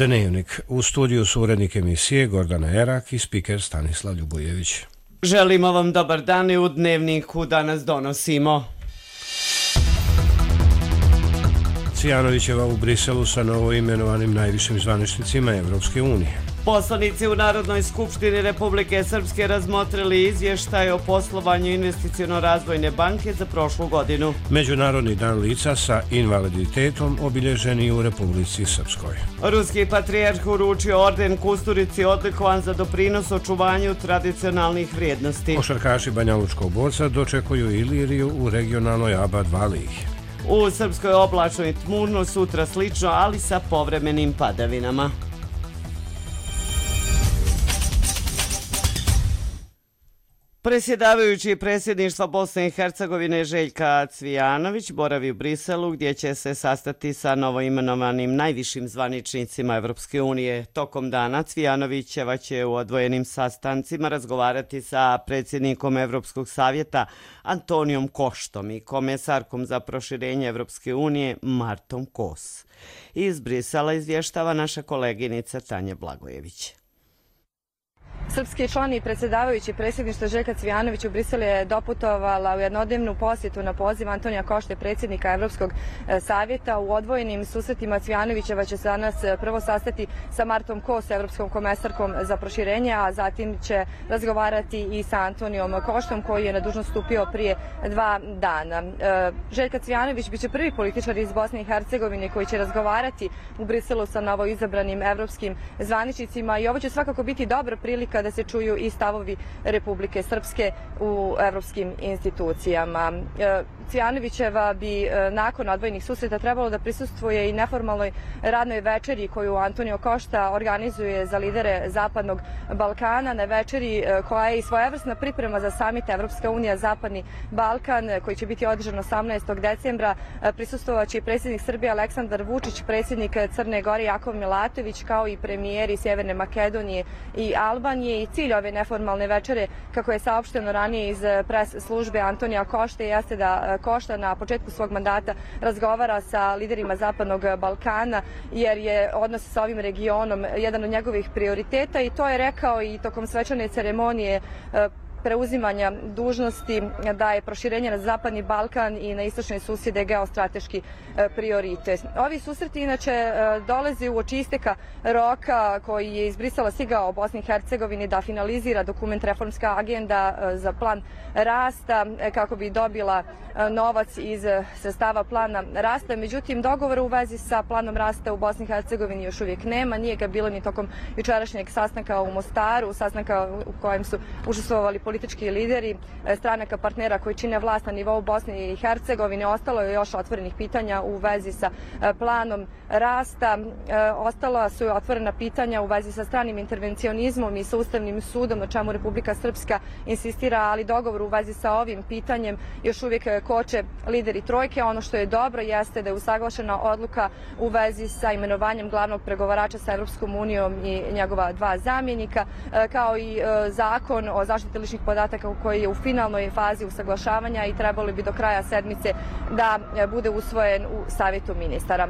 Dnevnik. U studiju su urednik emisije Gordana Erak i spiker Stanislav Ljubojević. Želimo vam dobar dan i u Dnevniku danas donosimo. Cvijanovićeva u Briselu sa novoimenovanim najvišim zvaničnicima Evropske unije. Poslanici u Narodnoj skupštini Republike Srpske razmotrili izvještaj o poslovanju Investiciono-razvojne banke za prošlu godinu. Međunarodni dan lica sa invaliditetom obilježen i u Republici Srpskoj. Ruski patrijarh uručio orden Kusturici odlikovan za doprinos očuvanju tradicionalnih vrijednosti. Košarkaši Banjalučkog borca dočekuju Iliriju u regionalnoj ABA 2 ligi. U Srpskoj oblačno i tmurno, sutra slično, ali sa povremenim padavinama. Predsjedavajući predsjedništva Bosne i Hercegovine Željka Cvijanović boravi u Briselu gdje će se sastati sa novoimenovanim najvišim zvaničnicima Evropske unije. Tokom dana Cvijanovićeva će u odvojenim sastancima razgovarati sa predsjednikom Evropskog savjeta Antonijom Koštom i komesarkom za proširenje Evropske unije Martom Kos. Iz Brisela izvještava naša koleginica Tanja Blagojević. Srpski član i predsjedavajući predsjedništva Željka Cvijanović u Briselu je doputovala u jednodnevnu posjetu na poziv Antonija Košte, predsjednika Evropskog savjeta. U odvojenim susretima Cvijanovićeva će se danas prvo sastati sa Martom Kos, evropskom komesarkom za proširenje, a zatim će razgovarati i sa Antonijom Koštom koji je na dužnost stupio prije 2 dana. Željka Cvijanović biće prvi političar iz Bosne i Hercegovine koji će razgovarati u Briselu sa novoizabranim evropskim zvaničnicima i ovo će svakako biti dobra prilika da se čuju i stavovi Republike Srpske u evropskim institucijama. Cvijanovićeva bi nakon odvojenih susreta trebalo da prisustvuje i neformalnoj radnoj večeri koju Antonio Košta organizuje za lidere Zapadnog Balkana, na večeri koja je i svojevrsna priprema za samit Evropska unija Zapadni Balkan koji će biti održan 18. decembra. Prisustvovaće i predsjednik Srbije Aleksandar Vučić, predsjednik Crne Gore Jakov Milatović, kao i premijeri Sjeverne Makedonije i Albanije. I cilj ove neformalne večere, kako je saopšteno ranije iz pres službe Antonija Košte, jeste da Košta na početku svog mandata razgovara sa liderima Zapadnog Balkana, jer je odnos sa ovim regionom jedan od njegovih prioriteta i to je rekao i tokom svečane ceremonije preuzimanja dužnosti da je proširenje na Zapadni Balkan i na istočne susjede geostrateški prioritet. Ovi susreti inače dolaze uoči isteka roka koji je iz Brisela stigao Bosni i Hercegovini da finalizira dokument Reformska agenda za plan rasta kako bi dobila novac iz sredstava plana rasta. Međutim, dogovora u vezi sa planom rasta u Bosni i Hercegovini još uvijek nema. Nije ga bilo ni tokom jučerašnjeg sastanka u Mostaru, sastanka u kojem su učestvovali politički lideri stranaka partnera koji čine vlast na nivou Bosne i Hercegovine. Ostalo je još otvorenih pitanja u vezi sa planom rasta. Ostala su otvorena pitanja u vezi sa stranim intervencionizmom i sa Ustavnim sudom, na čemu Republika Srpska insistira, ali dogovor u vezi sa ovim pitanjem još uvijek koče lideri trojke. Ono što je dobro jeste da je usaglašena odluka u vezi sa imenovanjem glavnog pregovarača sa Evropskom unijom i njegova 2 zamjenika, kao i zakon o zaštiti ličnih podataka koji je u finalnoj fazi usaglašavanja i trebalo bi do kraja sedmice da bude usvojen u Savjetu ministara.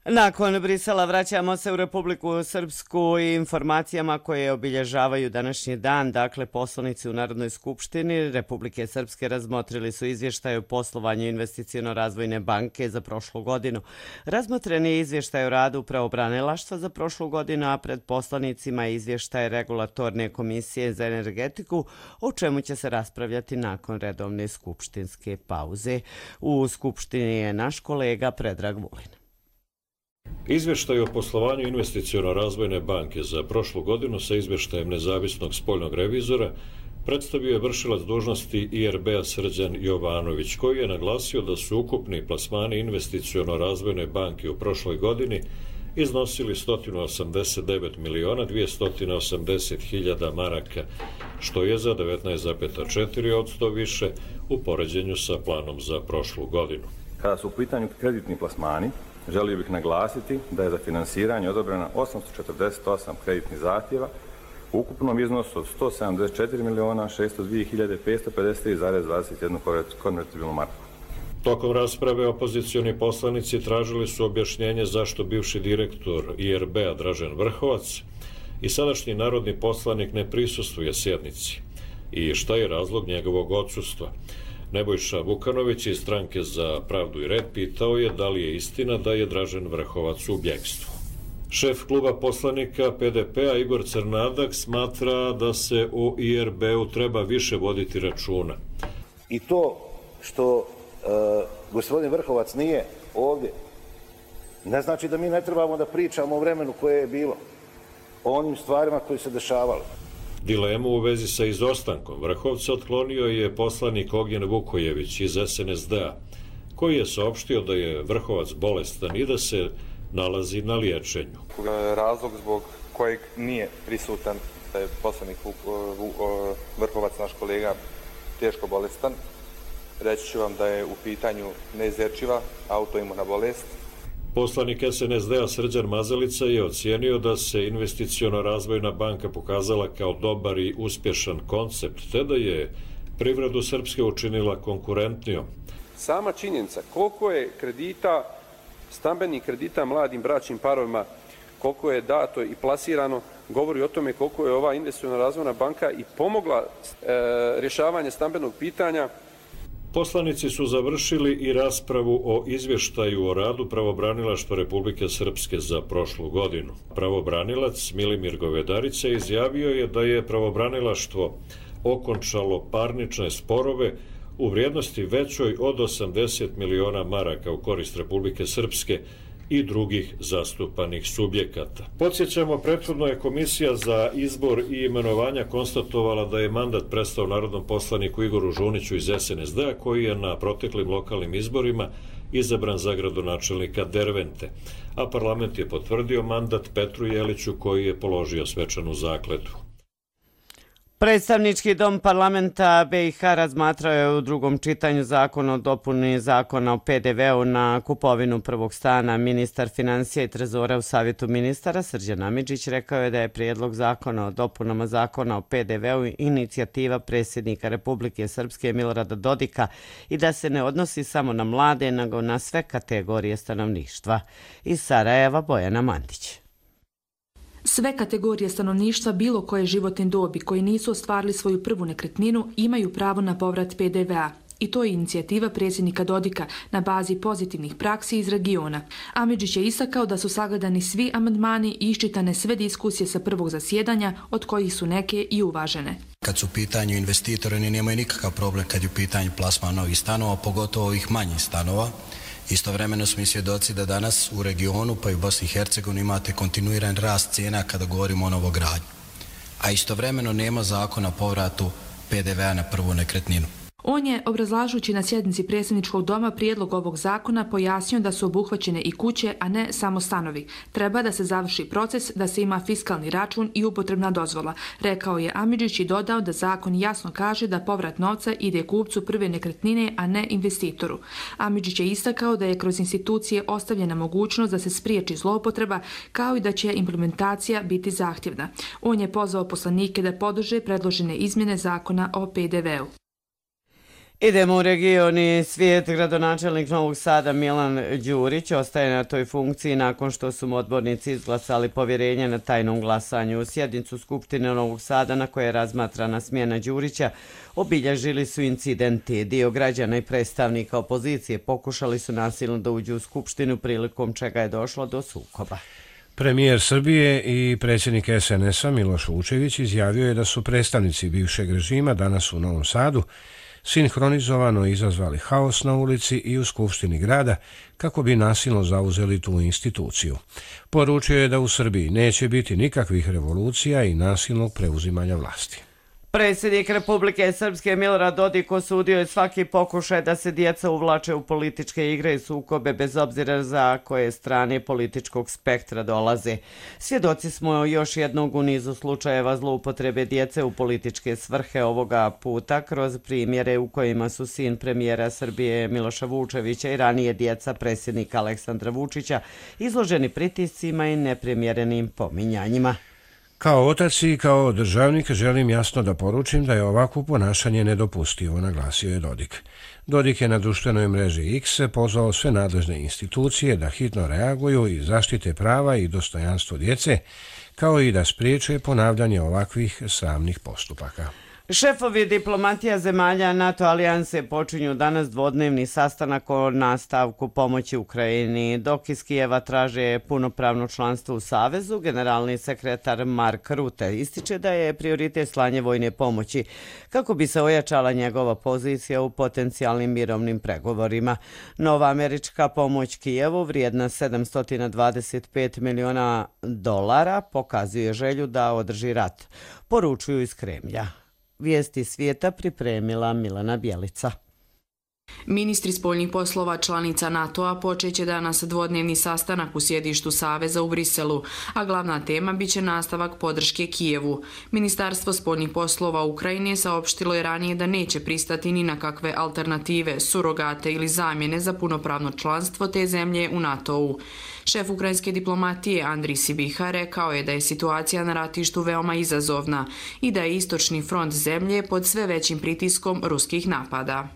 Nakon Brisela vraćamo se u Republiku Srpsku i informacijama koje obilježavaju današnji dan. Dakle, poslanici u Narodnoj skupštini Republike Srpske razmotrili su izvještaj o poslovanju Investiciono-razvojne banke za prošlu godinu. Razmotren je izvještaj o radu pravobranilaštva za prošlu godinu, a pred poslanicima je izvještaj Regulatorne komisije za energetiku, o čemu će se raspravljati nakon redovne skupštinske pauze. U skupštini je naš kolega Predrag Vulin. Izvještaj o poslovanju Investiciono-razvojne banke za prošlu godinu sa izvještajem nezavisnog spoljnog revizora predstavio je vršilac dužnosti IRB-a Srđan Jovanović, koji je naglasio da su ukupni plasmani Investiciono-razvojne banke u prošloj godini iznosili 189.280.000 maraka, što je za 19,4% više u poređenju sa planom za prošlu godinu. Kada su u pitanju kreditni plasmani, želio bih naglasiti da je za finansiranje odobreno 848 kreditnih zahtjeva u ukupnom iznosu od 174.602.553,21 konvertibilnu marku. Tokom rasprave opozicioni poslanici tražili su objašnjenje zašto bivši direktor IRB-a Dražen Vrhovac i sadašnji narodni poslanik ne prisustvuje sjednici i šta je razlog njegovog odsustva. Nebojša Vukanović iz Stranke za pravdu i red pitao je da li je istina da je Dražen Vrhovac u bjegstvu. Šef kluba poslanika PDP-a Igor Crnadak smatra da se u IRB-u treba više voditi računa. I to što gospodin Vrhovac nije ovdje ne znači da mi ne trebamo da pričamo o vremenu koje je bilo, o onim stvarima koje se dešavale. Dilemu u vezi sa izostankom Vrhovca otklonio je poslanik Ognjen Vukojević iz SNSD-a, koji je saopštio da je Vrhovac bolestan i da se nalazi na liječenju. Razlog zbog kojeg nije prisutan, da je poslanik Vrhovac, naš kolega, teško bolestan, reći ću vam da je u pitanju neizlječiva autoimuna bolest. Poslanik SNSD-a Srđan Mazalica je ocijenio da se investiciono-razvojna banka pokazala kao dobar i uspješan koncept, te da je privredu Srpske učinila konkurentnijom. Sama činjenica koliko je kredita, stambenih kredita mladim bračnim parovima, koliko je dato i plasirano, govori o tome koliko je ova investiciono-razvojna banka i pomogla rješavanje stambenog pitanja. Poslanici su završili i raspravu o izvještaju o radu Pravobranilaštva Republike Srpske za prošlu godinu. Pravobranilac Milimir Govedarica izjavio je da je pravobranilaštvo okončalo parnične sporove u vrijednosti većoj od 80 miliona maraka u korist Republike Srpske i drugih zastupanih subjekata. Podsjećamo, prethodno je Komisija za izbor i imenovanja konstatovala da je mandat prestao narodnom poslaniku Igoru Žuniću iz SNSD-a, koji je na proteklim lokalnim izborima izabran za gradonačelnika Dervente, a parlament je potvrdio mandat Petru Jeliću, koji je položio svečanu zakletvu. Predstavnički dom parlamenta BiH razmatrao je u drugom čitanju zakon o dopuni zakona o PDV-u na kupovinu prvog stana. Ministar financija i trezora u Savjetu ministara Srđan Amidžić rekao je da je prijedlog zakona o dopunama zakona o PDV-u inicijativa predsjednika Republike Srpske Milorada Dodika i da se ne odnosi samo na mlade, nego na sve kategorije stanovništva. Iz Sarajeva Bojana Mandić. Sve kategorije stanovništva bilo koje životne dobi koji nisu ostvarili svoju prvu nekretninu imaju pravo na povrat PDV-a. I to je inicijativa predsjednika Dodika na bazi pozitivnih praksi iz regiona. Amidžić je istakao da su sagledani svi amandmani i iščitane sve diskusije sa prvog zasjedanja, od kojih su neke i uvažene. Kad su u pitanju investitori, oni nemaju nikakav problem kad je u pitanju plasman novih stanova, pogotovo ovih manjih stanova. Istovremeno smo i svjedoci da danas u regionu, pa i u Bosni i Hercegovini, imate kontinuiran rast cijena kada govorimo o novogradnji. A istovremeno nema zakona o povratu PDV-a na prvu nekretninu. On je, obrazlažući na sjednici predsjedničkog doma prijedlog ovog zakona, pojasnio da su obuhvaćene i kuće, a ne samo stanovi. Treba da se završi proces, da se ima fiskalni račun i upotrebna dozvola, rekao je Amidžić i dodao da zakon jasno kaže da povrat novca ide kupcu prve nekretnine, a ne investitoru. Amidžić je istakao da je kroz institucije ostavljena mogućnost da se spriječi zloupotreba, kao i da će implementacija biti zahtjevna. On je pozvao poslanike da podrže predložene izmjene zakona o PDV-u. Idemo u region i svijet. Gradonačelnik Novog Sada Milan Đurić ostaje na toj funkciji nakon što su mu odbornici izglasali povjerenje na tajnom glasanju. Sjednicu Skupštine Novog Sada na kojoj je razmatrana smjena Đurića obilježili su incidenti. Dio građana i predstavnika opozicije pokušali su nasilno da uđu u Skupštinu, prilikom čega je došlo do sukoba. Premijer Srbije i predsjednik SNS-a Miloš Vučević izjavio je da su predstavnici bivšeg režima danas u Novom Sadu sinhronizovano izazvali haos na ulici i u Skupštini grada kako bi nasilno zauzeli tu instituciju. Poručio je da u Srbiji neće biti nikakvih revolucija i nasilnog preuzimanja vlasti. Predsjednik Republike Srpske Milorad Dodik osudio je svaki pokušaj da se djeca uvlače u političke igre i sukobe bez obzira za koje strane političkog spektra dolaze. Svjedoci smo još jednog u nizu slučajeva zloupotrebe djece u političke svrhe, ovoga puta kroz primjere u kojima su sin premijera Srbije Miloša Vučevića i ranije djeca predsjednika Aleksandra Vučića izloženi pritiscima i neprimjerenim pominjanjima. Kao otac i kao državnik želim jasno da poručim da je ovakvo ponašanje nedopustivo, naglasio je Dodik. Dodik je na društvenoj mreži X pozvao sve nadležne institucije da hitno reaguju i zaštite prava i dostojanstvo djece, kao i da spriječe ponavljanje ovakvih sramnih postupaka. Šefovi diplomatija zemalja NATO alijanse počinju danas dvodnevni sastanak o nastavku pomoći Ukrajini. Dok iz Kijeva traže punopravno članstvo u Savezu, generalni sekretar Mark Rutte ističe da je prioritet slanje vojne pomoći kako bi se ojačala njegova pozicija u potencijalnim mirovnim pregovorima. Nova američka pomoć Kijevu vrijedna $725 miliona pokazuje želju da održi rat, poručuju iz Kremlja. Vijesti svijeta pripremila Milena Bjelica. Ministri spoljnih poslova članica NATO-a počeće danas dvodnevni sastanak u sjedištu Saveza u Briselu, a glavna tema biće nastavak podrške Kijevu. Ministarstvo spoljnih poslova Ukrajine saopštilo je ranije da neće pristati ni na kakve alternative, surogate ili zamjene za punopravno članstvo te zemlje u NATO-u. Šef ukrajinske diplomatije Andrij Sibiha rekao je da je situacija na ratištu veoma izazovna i da je istočni front zemlje pod sve većim pritiskom ruskih napada.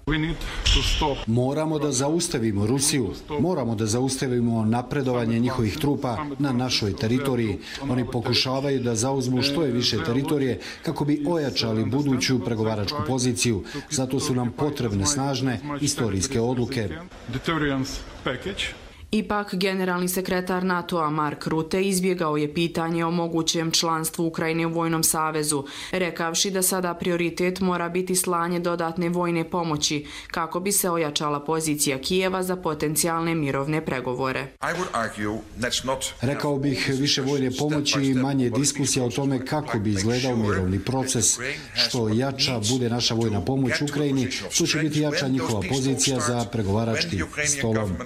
Moramo da zaustavimo Rusiju, moramo da zaustavimo napredovanje njihovih trupa na našoj teritoriji. Oni pokušavaju da zauzmu što je više teritorije kako bi ojačali buduću pregovaračku poziciju. Zato su nam potrebne snažne istorijske odluke. Ipak, generalni sekretar NATO-a Mark Rutte izbjegao je pitanje o mogućem članstvu Ukrajine u Vojnom savezu, rekavši da sada prioritet mora biti slanje dodatne vojne pomoći kako bi se ojačala pozicija Kijeva za potencijalne mirovne pregovore. Rekao bih više vojne pomoći i manje diskusija o tome kako bi izgledao mirovni proces. Što jača bude naša vojna pomoć Ukrajini, to će biti jača njihova pozicija za pregovaračkim stolom.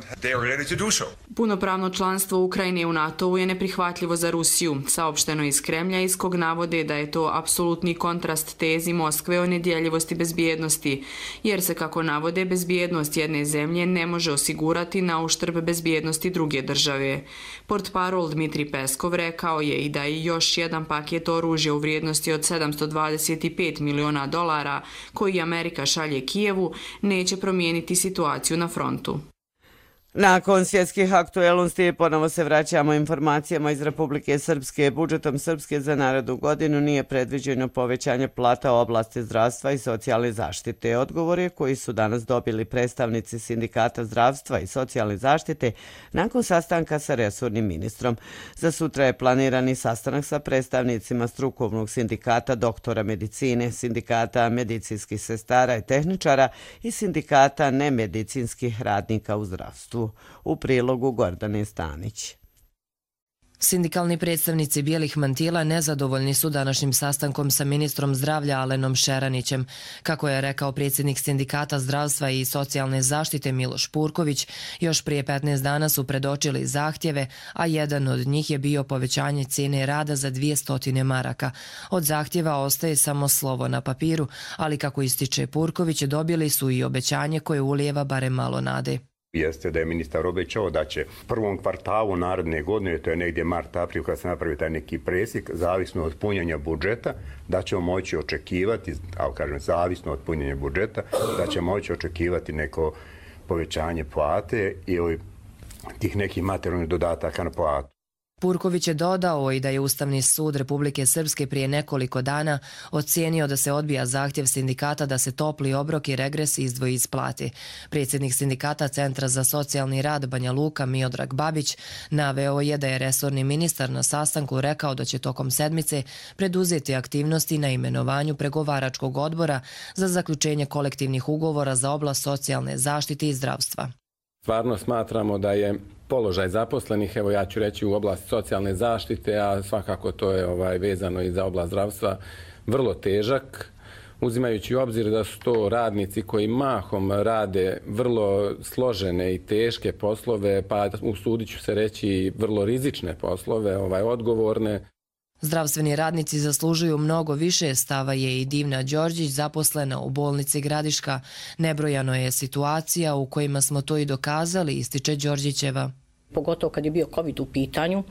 Punopravno članstvo Ukrajine u NATO-u je neprihvatljivo za Rusiju, saopšteno iz Kremlja, iz kog navode da je to apsolutni kontrast tezi Moskve o nedjeljivosti bezbjednosti, jer se, kako navode, bezbjednost jedne zemlje ne može osigurati na uštrb bezbjednosti druge države. Portparol Dmitri Peskov rekao je i da je još jedan paket oružja u vrijednosti od $725 miliona koji Amerika šalje Kijevu neće promijeniti situaciju na frontu. Nakon svjetskih aktuelnosti ponovo se vraćamo informacijama iz Republike Srpske. Budžetom Srpske za narednu godinu nije predviđeno povećanje plata u oblasti zdravstva i socijalne zaštite. Odgovore koji su danas dobili predstavnici Sindikata zdravstva i socijalne zaštite nakon sastanka sa resornim ministrom. Za sutra je planirani sastanak sa predstavnicima strukovnog sindikata doktora medicine, sindikata medicinskih sestara i tehničara i sindikata nemedicinskih radnika u zdravstvu. U prilogu Gordane Stanić. Sindikalni predstavnici bijelih mantila nezadovoljni su današnjim sastankom sa ministrom zdravlja Alenom Šeranićem. Kako je rekao predsjednik Sindikata zdravstva i socijalne zaštite Miloš Purković, još prije 15 dana su predočili zahtjeve, a jedan od njih je bio povećanje cijene rada za 200 maraka. Od zahtjeva ostaje samo slovo na papiru, ali kako ističe Purković, dobili su i obećanje koje ulijeva barem malo nade. Jeste da je ministar obećao da će u prvom kvartalu naredne godine, to je negdje mart-april kad se napravi taj neki presjek, zavisno od punjenja budžeta, da ćemo moći očekivati, zavisno od punjenja budžeta, da ćemo moći očekivati neko povećanje plate ili tih nekih materijalnih dodataka na platu. Purković je dodao i da je Ustavni sud Republike Srpske prije nekoliko dana ocijenio da se odbija zahtjev sindikata da se topli obrok i regres izdvoji iz plate. Predsjednik Sindikata Centra za socijalni rad Banja Luka Miodrag Babić naveo je da je resorni ministar na sastanku rekao da će tokom sedmice preduzeti aktivnosti na imenovanju pregovaračkog odbora za zaključenje kolektivnih ugovora za oblast socijalne zaštite i zdravstva. Stvarno smatramo da je položaj zaposlenih, evo ja ću reći u oblasti socijalne zaštite, a svakako to je vezano i za oblast zdravstva, vrlo težak, uzimajući u obzir da su to radnici koji mahom rade vrlo složene i teške poslove, pa usudit ću se reći vrlo rizične poslove, odgovorne. Zdravstveni radnici zaslužuju mnogo više, stava je i Divna Đorđić, zaposlena u bolnici Gradiška. Nebrojano je situacija u kojima smo to i dokazali, ističe Đorđićeva. Pogotovo kad je bio COVID u pitanju,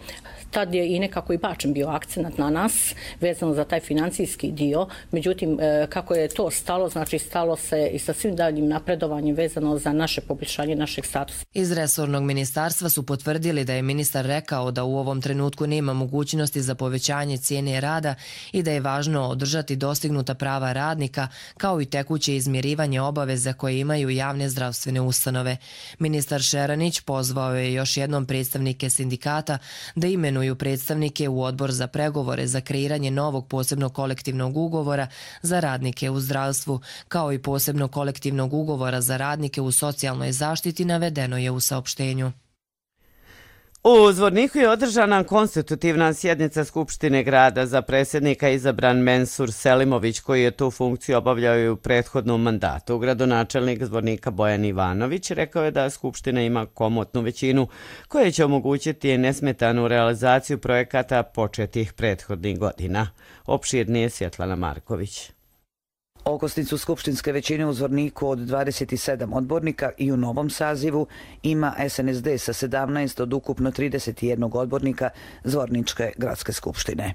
tad je i nekako i bačen bio akcenat na nas vezano za taj financijski dio. Međutim, kako je to stalo, znači stalo se i sa svim daljim napredovanjem vezano za naše poboljšanje našeg statusa. Iz resornog ministarstva su potvrdili da je ministar rekao da u ovom trenutku nema mogućnosti za povećanje cijene rada i da je važno održati dostignuta prava radnika kao i tekuće izmirivanje obaveza koje imaju javne zdravstvene ustanove. Ministar Šeranić pozvao je još jednom predstavnike sindikata da imenuju predstavnike u odbor za pregovore za kreiranje novog posebnog kolektivnog ugovora za radnike u zdravstvu, kao i posebnog kolektivnog ugovora za radnike u socijalnoj zaštiti, navedeno je u saopštenju. U Zvorniku je održana konstitutivna sjednica Skupštine grada. Za predsjednika izabran Mensur Selimović, koji je tu funkciju obavljao i u prethodnom mandatu. Gradonačelnik Zvornika Bojan Ivanović rekao je da Skupština ima komotnu većinu koja će omogućiti nesmetanu realizaciju projekata početih prethodnih godina. Opširnije Svjetlana Marković. Okosnicu skupštinske većine u Zvorniku od 27 odbornika i u novom sazivu ima SNSD sa 17 od ukupno 31 odbornika Zvorničke gradske skupštine.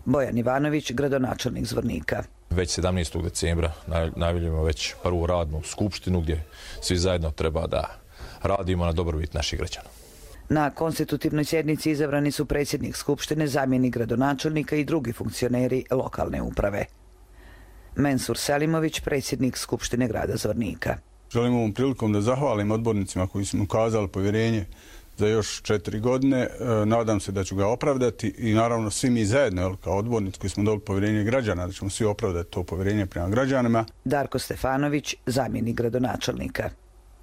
Bojan Ivanović, gradonačelnik Zvornika. Već 17. decembra najavljujemo već prvu radnu skupštinu gdje svi zajedno treba da radimo na dobrobit naših građana. Na konstitutivnoj sjednici izabrani su predsjednik skupštine, zamjenik gradonačelnika i drugi funkcioneri lokalne uprave. Mensur Selimović, predsjednik Skupštine grada Zvornika. Želim ovom prilikom da zahvalim odbornicima koji su mi ukazali povjerenje za još 4 godine. Nadam se da ću ga opravdati i naravno svi mi zajedno kao odbornici koji smo dobili povjerenje građana, da ćemo svi opravdati to povjerenje prema građanima. Darko Stefanović, zamjenik gradonačelnika.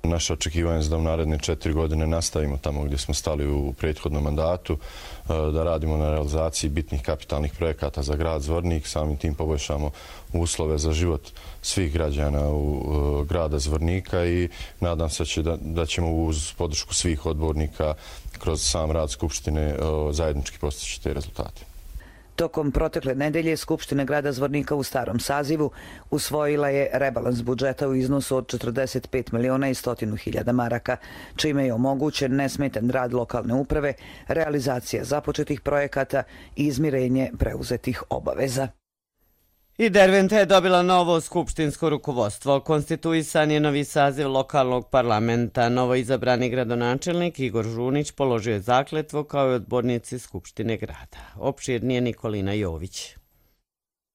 Naše očekivanje je da u naredne 4 godine nastavimo tamo gdje smo stali u prethodnom mandatu, da radimo na realizaciji bitnih kapitalnih projekata za grad Zvornik, samim tim poboljšamo uslove za život svih građana u grada Zvornika i nadam se da ćemo uz podršku svih odbornika kroz sam rad Skupštine zajednički postići te rezultate. Tokom protekle nedelje Skupština grada Zvornika u starom sazivu usvojila je rebalans budžeta u iznosu od 45.100.000 maraka, čime je omogućen nesmetan rad lokalne uprave, realizacija započetih projekata i izmirenje preuzetih obaveza. I Derventa je dobila novo skupštinsko rukovodstvo. Konstituisan je novi saziv lokalnog parlamenta. Novo izabrani gradonačelnik Igor Žunić položio je zakletvu kao i odbornici Skupštine grada. Opširnije Nikolina Jović.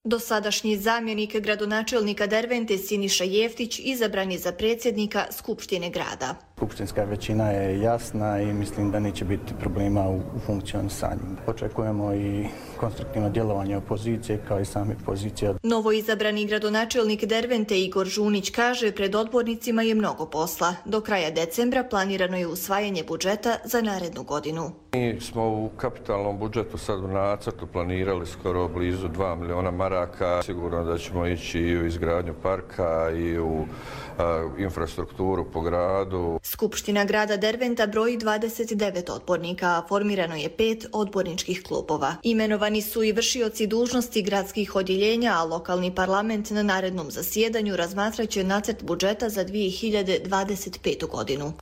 Dosadašnji zamjenik gradonačelnika Dervente Siniša Jeftić izabran je za predsjednika Skupštine grada. Skupštinska većina je jasna i mislim da neće biti problema u funkcionisanju. Očekujemo i konstruktivno djelovanje opozicije kao i same pozicije. Novo izabrani gradonačelnik Dervente Igor Žunić kaže pred odbornicima je mnogo posla. Do kraja decembra planirano je usvajanje budžeta za narednu godinu. Mi smo u kapitalnom budžetu sad u nacrtu planirali skoro blizu 2 miliona maraka. Sigurno da ćemo ići i u izgradnju parka i u infrastrukturu po gradu. Skupština grada Derventa broji 29 odbornika, a formirano je 5 odborničkih klubova. Imenovani su i vršioci dužnosti gradskih odjeljenja, a lokalni parlament na narednom zasjedanju razmatraće nacrt budžeta za 2025. godinu.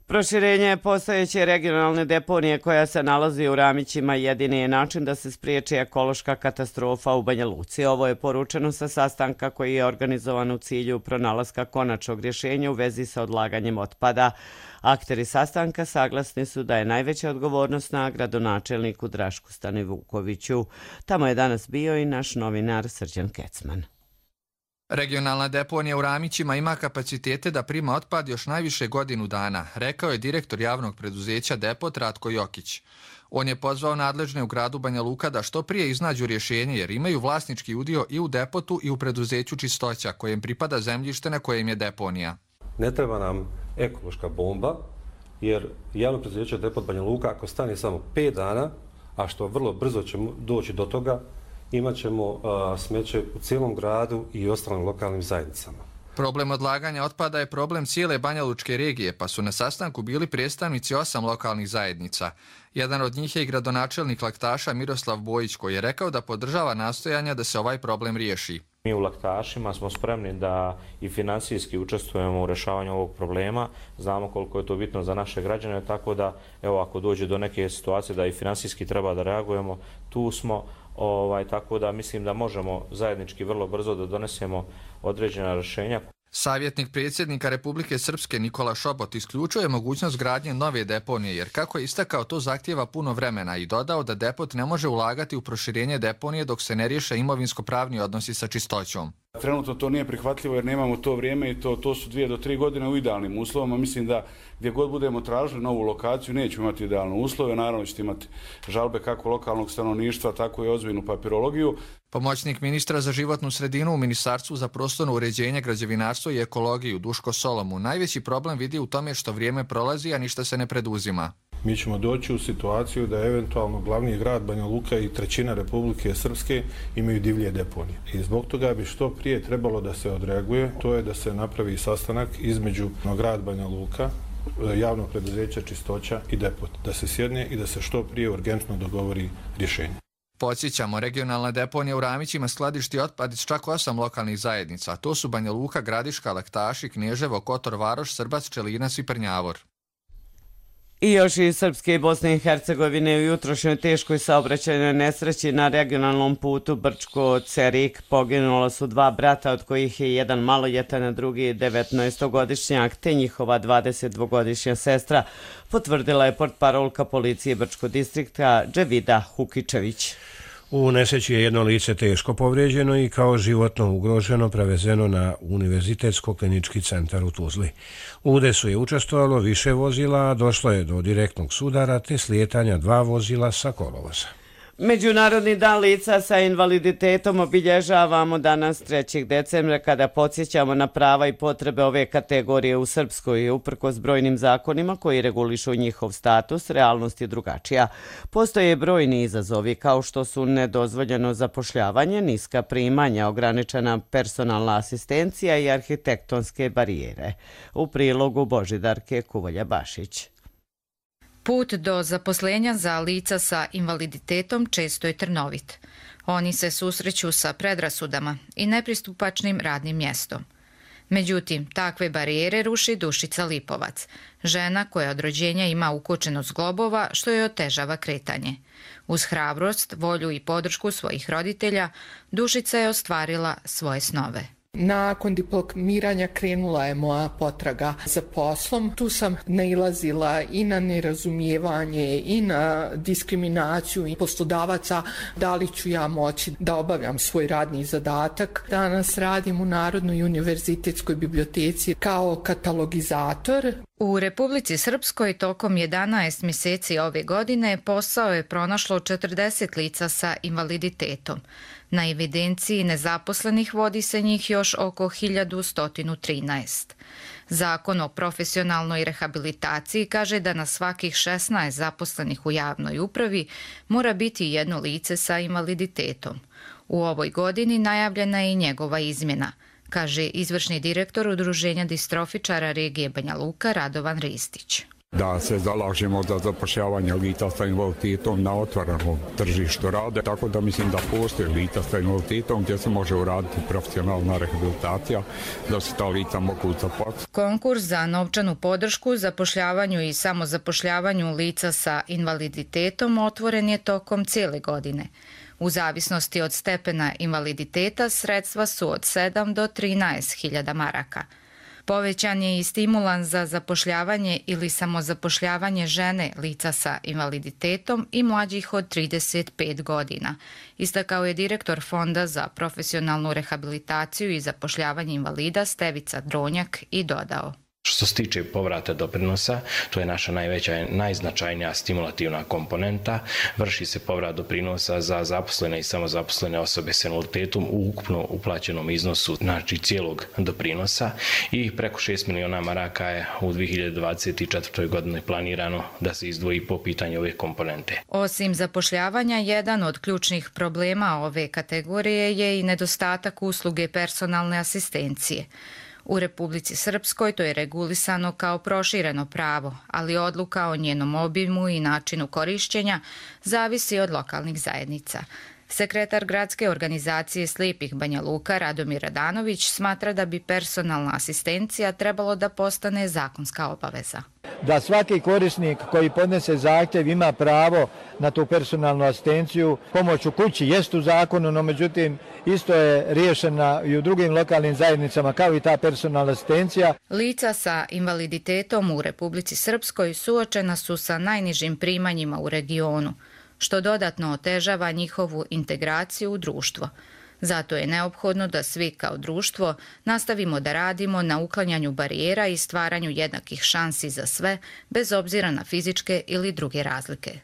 Proširenje postojeće regionalne deponije koja se nalazi u Ramićima jedini je način da se spriječi ekološka katastrofa u Banja Luci. Ovo je poručeno sa sastanka koji je organizovan u cilju pronalaska konačnog rješenja u vezi sa odlaganjem otpada. Akteri sastanka saglasni su da je najveća odgovornost na gradonačelniku Drašku Stanivukoviću. Tamo je danas bio i naš novinar Srđan Kecman. Regionalna deponija u Ramićima ima kapacitete da prima otpad još najviše godinu dana, rekao je direktor javnog preduzeća Depot Ratko Jokić. On je pozvao nadležne u gradu Banja Luka da što prije iznađu rješenje jer imaju vlasnički udio i u Depotu i u preduzeću Čistoća kojem pripada zemljište na kojem je deponija. Ne treba nam ekološka bomba jer javno preduzeće Depot Banja Luka ako stane samo 5 dana, a što vrlo brzo ćemo doći do toga, imat ćemo smeće u cijelom gradu i ostalim lokalnim zajednicama. Problem odlaganja otpada je problem cijele Banja Lučke regije, pa su na sastanku bili predstavnici 8 lokalnih zajednica. Jedan od njih je i gradonačelnik Laktaša Miroslav Bojić, koji je rekao da podržava nastojanja da se ovaj problem riješi. Mi u Laktašima smo spremni da i financijski učestvujemo u rješavanju ovog problema. Znamo koliko je to bitno za naše građane, tako da evo, ako dođe do neke situacije da i financijski treba da reagujemo, tu smo. Tako da mislim da možemo zajednički vrlo brzo da donesemo određena rješenja. Savjetnik predsjednika Republike Srpske Nikola Šobot isključuje mogućnost gradnje nove deponije, jer kako je istakao, to zahtijeva puno vremena i dodao da depot ne može ulagati u proširenje deponije dok se ne riješe imovinsko-pravni odnosi sa čistoćom. Trenutno to nije prihvatljivo jer nemamo to vrijeme i to su 2 do 3 godine u idealnim uslovima. Mislim da gdje god budemo tražili novu lokaciju nećemo imati idealne uslove. Naravno ćete imati žalbe kako lokalnog stanovništva, tako i ozbiljnu papirologiju. Pomoćnik ministra za životnu sredinu u Ministarstvu za prostorno uređenje, građevinarstvo i ekologiju Duško Solomu najveći problem vidi u tome što vrijeme prolazi, a ništa se ne preduzima. Mi ćemo doći u situaciju da eventualno glavni grad Banja Luka i trećina Republike Srpske imaju divlje deponije. I zbog toga bi što prije trebalo da se odreaguje, to je da se napravi sastanak između grad Banja Luka, javnog preduzeća Čistoća i depot. Da se sjedne i da se što prije urgentno dogovori rješenje. Podsjećamo, regionalna deponija u Ramićima skladišti otpad iz čak 8 lokalnih zajednica. To su Banja Luka, Gradiška, Laktaši, Knježevo, Kotor Varoš, Srbac, Čelinac i Prnjavor. I još iz Srpske i Bosne i Hercegovine u jutrošnjoj teškoj saobraćajnoj nesreći na regionalnom putu Brčko-Cerik poginula su 2 brata, od kojih je jedan maloljetan, a drugi 19-godišnjak, te njihova 22-godišnja sestra, potvrdila je portparolka policije Brčko distrikta Dževida Hukičević. U nesreći je jedno lice teško povrijeđeno i kao životno ugroženo prevezeno na Univerzitetsko-klinički centar u Tuzli. U udesu je učestvovalo više vozila, a došlo je do direktnog sudara te slijetanja 2 vozila sa kolovoza. Međunarodni dan lica sa invaliditetom obilježavamo danas 3. decembra kada podsjećamo na prava i potrebe ove kategorije u Srpskoj. Uprkos brojnim zakonima koji regulišu njihov status, realnost je drugačija. Postoje brojni izazovi kao što su nedozvoljeno zapošljavanje, niska primanja, ograničena personalna asistencija i arhitektonske barijere. U prilogu Božidarke Kuvolja-Bašić. Put do zaposlenja za lica sa invaliditetom često je trnovit. Oni se susreću sa predrasudama i nepristupačnim radnim mjestom. Međutim, takve barijere ruši Dušica Lipovac, žena koja od rođenja ima ukočenost zglobova što joj otežava kretanje. Uz hrabrost, volju i podršku svojih roditelja, Dušica je ostvarila svoje snove. Nakon diplomiranja krenula je moja potraga za poslom. Tu sam nailazila i na nerazumijevanje i na diskriminaciju i poslodavaca. Da li ću ja moći da obavljam svoj radni zadatak. Danas radim u Narodnoj univerzitetskoj biblioteci kao katalogizator. U Republici Srpskoj tokom 11 mjeseci ove godine posao je pronašlo 40 lica sa invaliditetom. Na evidenciji nezaposlenih vodi se njih još oko 1113. Zakon o profesionalnoj rehabilitaciji kaže da na svakih 16 zaposlenih u javnoj upravi mora biti jedno lice sa invaliditetom. U ovoj godini najavljena je i njegova izmjena, kaže izvršni direktor Udruženja distrofičara regije Banja Luka Radovan Ristić. Da se zalažemo za zapošljavanje lica sa invaliditetom na otvorenom tržištu rada, tako da mislim da postoje lica sa invaliditetom gdje se može uraditi profesionalna rehabilitacija, da se ta lica mogu zaposliti. Konkurs za novčanu podršku zapošljavanju i samozapošljavanju lica sa invaliditetom otvoren je tokom cijele godine. U zavisnosti od stepena invaliditeta sredstva su od 7 do 13.000 maraka. Povećan je i stimulans za zapošljavanje ili samozapošljavanje žene lica sa invaliditetom i mlađih od 35 godina, istakao je direktor Fonda za profesionalnu rehabilitaciju i zapošljavanje invalida Stevica Dronjak i dodao. Što se tiče povrata doprinosa, to je naša najveća i najznačajnija stimulativna komponenta. Vrši se povrat doprinosa za zaposlene i samozaposlene osobe s invaliditetom u ukupno uplaćenom iznosu, znači cijelog doprinosa, i preko 6 miliona maraka je u 2024. godini planirano da se izdvoji po pitanju ove komponente. Osim zapošljavanja, jedan od ključnih problema ove kategorije je i nedostatak usluge personalne asistencije. U Republici Srpskoj to je regulisano kao prošireno pravo, ali odluka o njenom obimu i načinu korišćenja zavisi od lokalnih zajednica. Sekretar gradske organizacije slijepih Banja Luka Radomir Radanović smatra da bi personalna asistencija trebalo da postane zakonska obaveza. Da svaki korisnik koji podnese zahtjev ima pravo na tu personalnu asistenciju. Pomoć u kući jest u zakonu, no međutim isto je riješena i u drugim lokalnim zajednicama kao i ta personalna asistencija. Lica sa invaliditetom u Republici Srpskoj suočena su sa najnižim primanjima u regionu, što dodatno otežava njihovu integraciju u društvo. Zato je neophodno da svi kao društvo nastavimo da radimo na uklanjanju barijera i stvaranju jednakih šansi za sve, bez obzira na fizičke ili druge razlike.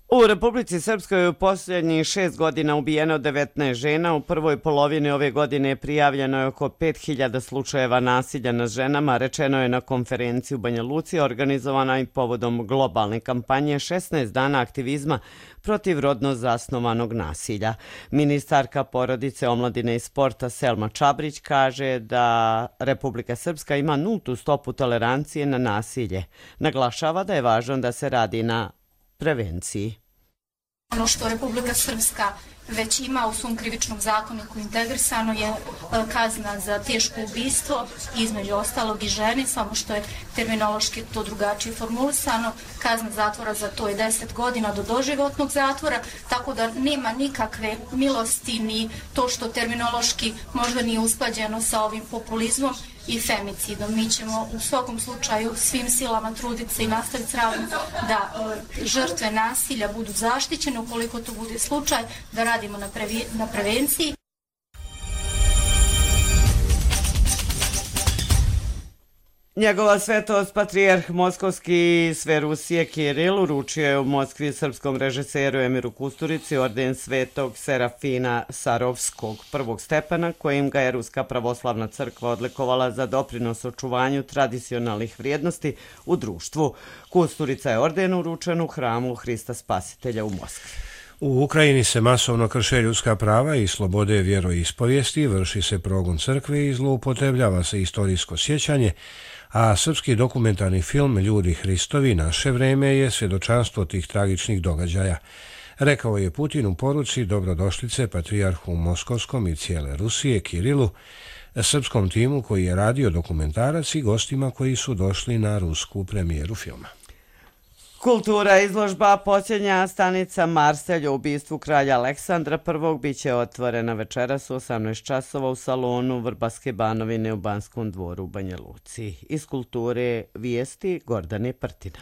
U Republici Srpskoj je u posljednjih 6 godina ubijeno 19 žena. U prvoj polovini ove godine prijavljeno je oko 5000 slučajeva nasilja nad ženama, rečeno je na konferenciji u Banja Luci, organizovanoj povodom globalne kampanje 16 dana aktivizma protiv rodno zasnovanog nasilja. Ministarka porodice, omladine i sporta Selma Čabrić kaže da Republika Srpska ima nultu stopu tolerancije na nasilje. Naglašava da je važno da se radi na prevenciji. Ono što Republika Srpska već ima u svom krivičnom zakoniku integrisano je kazna za teško ubistvo, između ostalog i žene, samo što je terminološki to drugačije formulisano. Kazna zatvora za to je 10 godina do doživotnog zatvora, tako da nema nikakve milosti ni to što terminološki možda nije usklađeno sa ovim populizmom i femicidom. Mi ćemo u svakom slučaju svim silama truditi se i nastaviti s radom da žrtve nasilja budu zaštićene ukoliko to bude slučaj, da radimo na prevenciji. Njegova svetost patrijarh Moskovski sve Rusije Kiril uručio je u Moskvi srpskom režiseru Emiru Kusturici orden svetog Serafina Sarovskog prvog stepena, kojim ga je Ruska pravoslavna crkva odlikovala za doprinos očuvanju tradicionalnih vrijednosti u društvu. Kusturica je orden uručen u hramu Hrista Spasitelja u Moskvi. U Ukrajini se masovno krše ljudska prava i slobode vjeroispovijesti, vrši se progon crkve i zloupotrebljava se istorijsko sjećanje, a srpski dokumentarni film Ljudi Hristovi naše vreme je svjedočanstvo tih tragičnih događaja. Rekao je Putin u poruci dobrodošlice patrijarhu Moskovskom i cijele Rusije Kirilu, srpskom timu koji je radio dokumentarac i gostima koji su došli na rusku premijeru filma. Kultura izložba Posljednja stanica Marselj o ubistvu kralja Aleksandra I biće otvorena večeras u 18 časova u salonu Vrbaske Banovine u Banskom dvoru u Banja Luci. Iz kulture vijesti Gordane Prtina.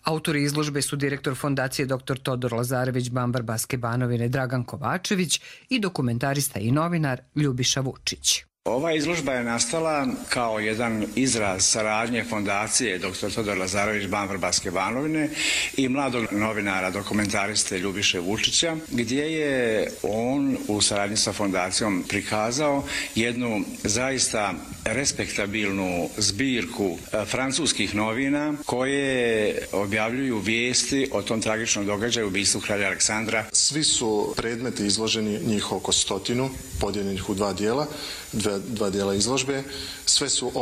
Autori izložbe su direktor fondacije dr. Todor Lazarević Ban Vrbaske Banovine Dragan Kovačević i dokumentarista i novinar Ljubiša Vučić. Ova izložba je nastala kao jedan izraz saradnje fondacije dr. Todor Lazarević Ban Vrbaske Banovine i mladog novinara, dokumentariste Ljubiše Vučića, gdje je on u saradnji sa fondacijom prikazao jednu zaista respektabilnu zbirku francuskih novina koje objavljuju vijesti o tom tragičnom događaju ubistvu kralja Aleksandra. Svi su predmeti izloženi, njih oko 100, podijeljenih u dva dijela izložbe. Sve su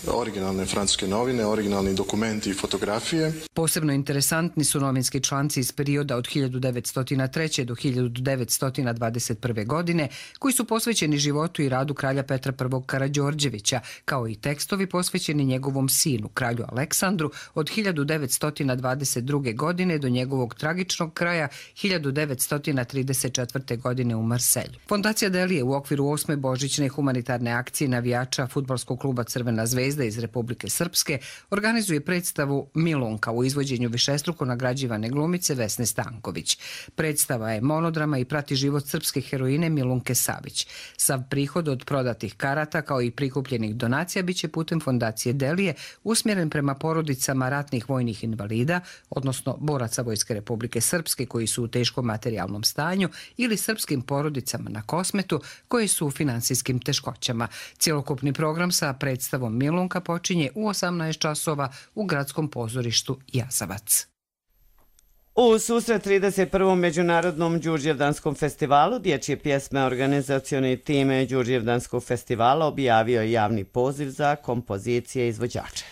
originalne francuske novine, originalni dokumenti i fotografije. Posebno interesantni su novinski članci iz perioda od 1903. do 1921. godine, koji su posvećeni životu i radu kralja Petra I. Karađorđevića, kao i tekstovi posvećeni njegovom sinu, kralju Aleksandru, od 1922. godine do njegovog tragičnog kraja 1934. godine u Marselju. Fondacija Delije u okviru 8. božićne humanitarne akcije navijača Fudbalskog kluba Crvena zvezda iz Republike Srpske organizuje predstavu Milunka u izvođenju višestruko nagrađivane glumice Vesne Stanković. Predstava je monodrama i prati život srpske heroine Milunke Savić. Sav prihod od prodatih karata kao i prikupljenih donacija biće putem fondacije Delije usmjeren prema porodicama ratnih vojnih invalida, odnosno boraca Vojske Republike Srpske koji su u teškom materijalnom stanju ili srpskim porodicama na Kosmetu koji su u finansijskim teškoćama. Cjelokupni program sa predstavom Milunka počinje u 18 časova u gradskom pozorištu Jazavac. U susret 31. Međunarodnom Đurđevdanskom festivalu dječje pjesme organizacioni tim Đurđevdanskog festivala objavio javni poziv za kompozicije izvođača.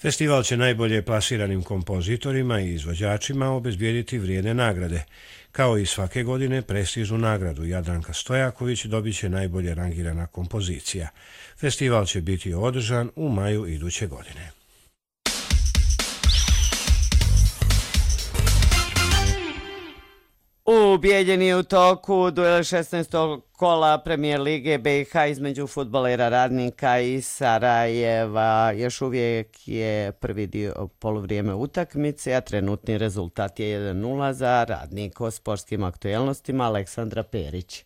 Festival će najbolje plasiranim kompozitorima i izvođačima obezbijediti vrijedne nagrade. Kao i svake godine, prestižnu nagradu Jadranka Stojaković dobit će najbolje rangirana kompozicija. Festival će biti održan u maju iduće godine. U Bijeljini je u toku duel 16. kola Premijer Lige BiH između fudbalera Radnika i Sarajeva. Još uvijek je prvi dio poluvrijeme utakmice, a trenutni rezultat je 1:0 za Radnik. O sportskim aktuelnostima Aleksandra Perić.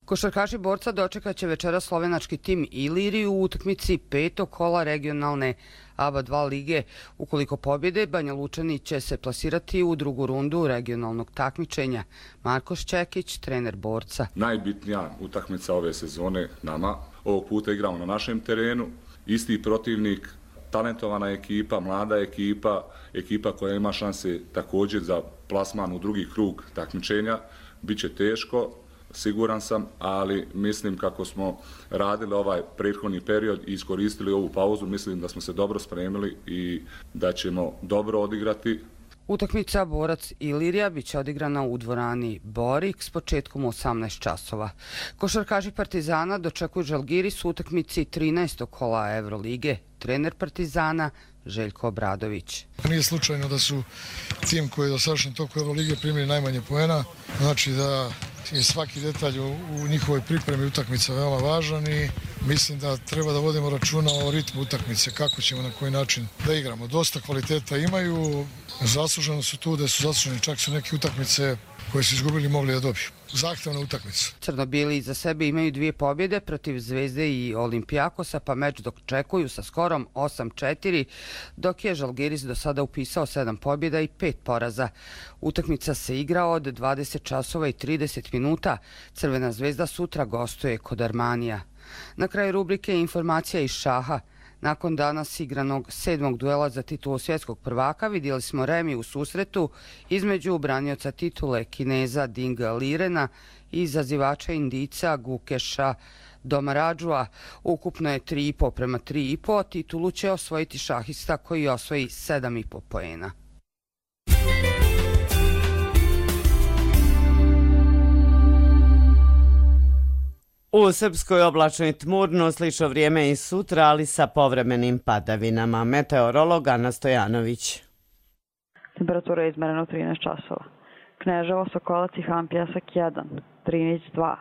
Košarkaši Borca dočekat će večera slovenački tim Iliriju u utakmici 5. kola regionalne ABA 2 lige. Ukoliko pobjede, Banja Lučani će se plasirati u drugu rundu regionalnog takmičenja. Marko Šćekić, trener Borca. Najbitnija utakmica ove sezone nama. Ovog puta igramo na našem terenu. Isti protivnik, talentovana ekipa, mlada ekipa koja ima šanse također za plasman u drugi krug takmičenja. Biće teško, siguran sam, ali mislim kako smo radili ovaj prethodni period i iskoristili ovu pauzu, mislim da smo se dobro spremili i da ćemo dobro odigrati. Utakmica Borac Ilirija biće odigrana u dvorani Borik s početkom u 18 časova. Košarkaši Partizana dočekuju Žalgiris u utakmici 13. kola Evrolige. Trener Partizana Željko Obradović. Nije slučajno da su tim koji je do sadašnjem toku Evrolige primili najmanje poena, znači da je svaki detalj u njihovoj pripremi utakmica veoma važan i mislim da treba da vodimo računa o ritmu utakmice, kako ćemo na koji način da igramo. Dosta kvaliteta imaju, zasluženo su tu da su zasluženi, čak su neke utakmice koje su izgubili mogli da dobiju. Zahtevna utakmica. Crno-bijeli iza sebe imaju 2 pobjede protiv Zvezde i Olimpijakosa, pa meč dočekuju sa skorom 8-4, dok je Žalgiris do sada upisao 7 pobjeda i 5 poraza. Utakmica se igra od 20 časova i 30 minuta. Crvena zvezda sutra gostuje kod Armanija. Na kraju rubrike informacija iz šaha. Nakon danas igranog 7. duela za titulu svjetskog prvaka vidjeli smo remi u susretu između branioca titule Kineza Dinga Lirena i izazivača Indica Gukeša Domaradžua. Ukupno je 3,5 prema 3,5. Titulu će osvojiti šahista koji osvoji 7,5 poena. U Srpskoj oblačno i tmurno, slično vrijeme i sutra, ali sa povremenim padavinama. Meteorolog Ana Stojanović. Temperatura je izmerena u 13 časova. Kneževo, Sokolac i Hampijasak 1, Drinić 2,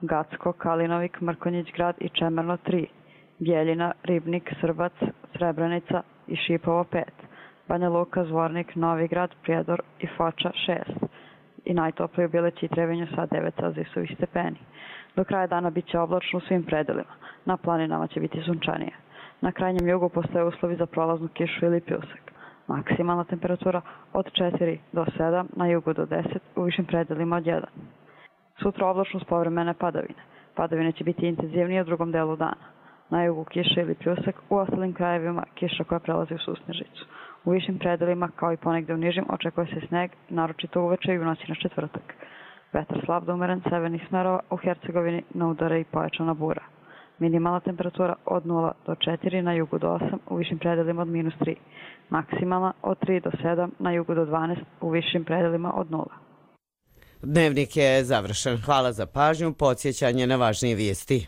Gacko, Kalinovik, Mrkonjić grad i Čemerno 3, Bjeljina, Ribnik, Srbac, Srebrenica i Šipovo 5, Banja Luka, Zvornik, Novigrad, Prijedor i Foča 6 i najtoplije u Bileći i Trebinju sa 9 celzijusovih stepeni. Do kraja dana bit će oblačno u svim predelima. Na planinama će biti sunčanije. Na krajnjem jugu postoje uslovi za prolaznu kišu ili pljusak. Maksimalna temperatura od 4 do 7, na jugu do 10, u višim predelima od 1. Sutra oblačno s povremene padavine. Padavine će biti intenzivnije u drugom delu dana. Na jugu kiša ili pljusak, u ostalim krajevima kiša koja prelazi u susnežicu. U višim predelima, kao i ponegde u nižim, očekuje se sneg, naročito uveče i u noći na četvrtak. Vetar slab do umeren severnih smerova, u Hercegovini na udare i pojačana bura. Minimalna temperatura od 0 do 4, na jugu do 8, u višim predelima od -3. Maksimalna od 3 do 7, na jugu do 12, u višim predelima od 0. Dnevnik je završen. Hvala za pažnju. Podsjećanje na važnije vijesti.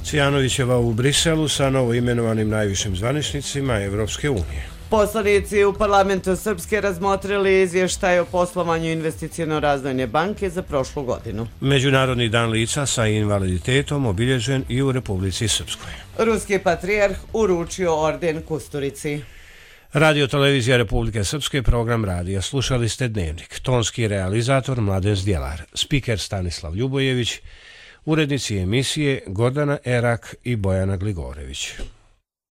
Cvijanovićeva u Briselu sa novoimenovanim najvišim zvaničnicima Evropske unije. Poslanici u parlamentu Srpske razmotrili izvještaj o poslovanju investiciono-razvojne banke za prošlu godinu. Međunarodni dan lica sa invaliditetom obilježen i u Republici Srpskoj. Ruski patrijarh uručio orden Kusturici. Radio televizija Republike Srpske, program radija. Slušali ste Dnevnik. Tonski realizator Mladen Zdjelar, spiker Stanislav Ljubojević, urednici emisije Gordana Erak i Bojana Gligorević.